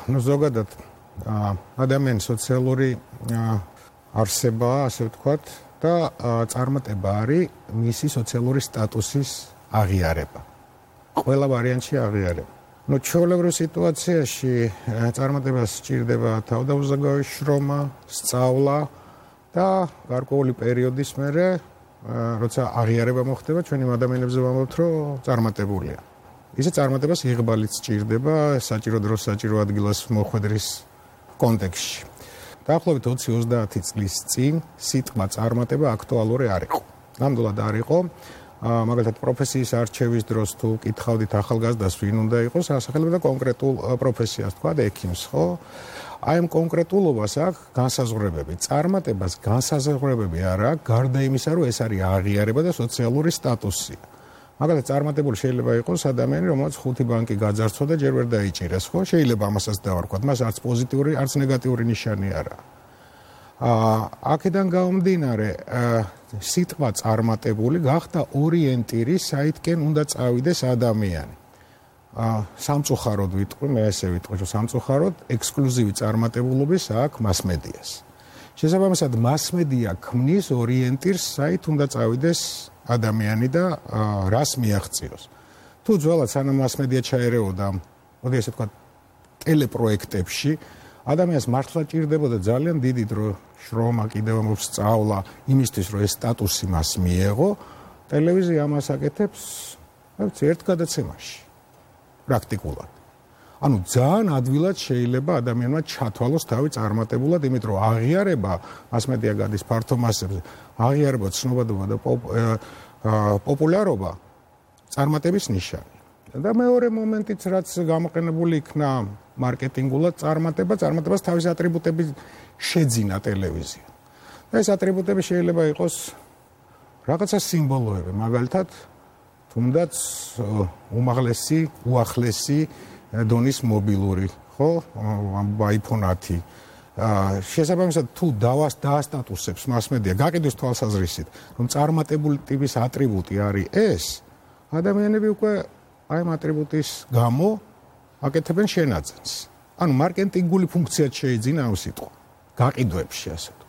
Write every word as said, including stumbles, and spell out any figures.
ну ზოგადად ადამიანის სოციალური არსებაა, ასე ვთქვათ, და წარმატება არის მისი სოციალური სტატუსის აღიარება. ყველა ვარიანტში აღიარება. ну ჩვეულებრივ სიტუაციაში წარმატებას სჭირდება თავდაუზოგავი შრომა, სწავლა და გარკვეული პერიოდის მერე როცა აღიარება მოხდება, ჩვენი ადამიანებზე ვამბობთ, რომ წარმატებულია. ისე წარმატებას იღბალიც სჭირდება საჭირო დროს საჭირო ადგილას მოხვედრის კონტექსტში. დაახლოებით ოცი ოცდაათი წლის წინ სიტყვა წარმატება აქტუალური არ იყო. ნამდვილად არ იყო. მაგალითად პროფესიის არჩევის დროს თუ კითხავდით ახალგაზრდას ვინ უნდა იყოს, ასახელებდა კონკრეტულ პროფესიას, თქვა ექიმს, ხო? აი ამ კონკრეტულობას აქვს განსაზღვრებები. წარმატებას განსაზღვრებები არ აქვს, გარდა იმისა, რომ ეს არის აღიარება და სოციალური სტატუსი. მაგალითად წარმატებული შეიძლება იყოს ადამიანი, რომელსაც ხუთი ბანკი გაძარცვა და ჯერ ვერ დაიჭირეს, ხო? შეიძლება ამასაც დავარქვათ, მას არც პოზიტიური, არც ნეგატიური ნიშანი არ აქვს. აა აქედან გამომდინარე, სიტყვა წარმატებული გახდა ორიენტირი, საითკენ უნდა წავიდეს ადამიანი. აა სამწუხაროდ ვიტყვი, მე ესე ვიტყვი, რომ სამწუხაროდ ექსკლუზივი წარმატებულობის აქვს მასმედიას. შესაბამისად, მასმედია ქმნის ორიენტირს, საით უნდა წავიდეს ადამიანი და რას მიაღწიოს. თუ ძველად სანამ მასმედია ჩაერეოდა, მოდი ესე ვთქვათ, ტელეპროექტებში, ადამიანს მართლა ჭირდებოდა ძალიან დიდი დრო, შრომა, კიდევ მოსწავლა, იმისთვის, რომ ეს სტატუსი მას მიეღო, ტელევიზია ამას აკეთებს, ვიცი, ერთ გადაცემაში. პრაქტიკულად. ანუ ძალიან ადვილად შეიძლება ადამიანმა ჩათვალოს თავი წარმატებულად, იმიტომ რომ აღიარება მასმედია გადის ფართო მასებზე, აღიარება, ცნობადობა და პოპულარობა წარმატების ნიშანი. და მეორე მომენტიც, რაც გამოყენებული იქნა მარკეტინგულად წარმატება, წარმატებას თავის ატრიბუტები შეძინა ტელევიზია. და ეს ატრიბუტები შეიძლება იყოს რაღაცა სიმბოლოები, მაგალითად, თუნდაც უმაღლესი, უახლესი დონის მობილური, ხო? iPhone ათი. შესაბამისად, თუ დავას დაასტატუსებს მასმედია, გაყიდვის თვალსაზრისით, რომ წარმატებული ტიპის ატრიბუტი არის ეს, ადამიანები უკვე აი ამ ატრიბუტის გამო აკეთებენ შენაძენს. ანუ მარკეტინგული ფუნქციაც შეიძინა ამ სიტყვა. გაყიდვებში ასე.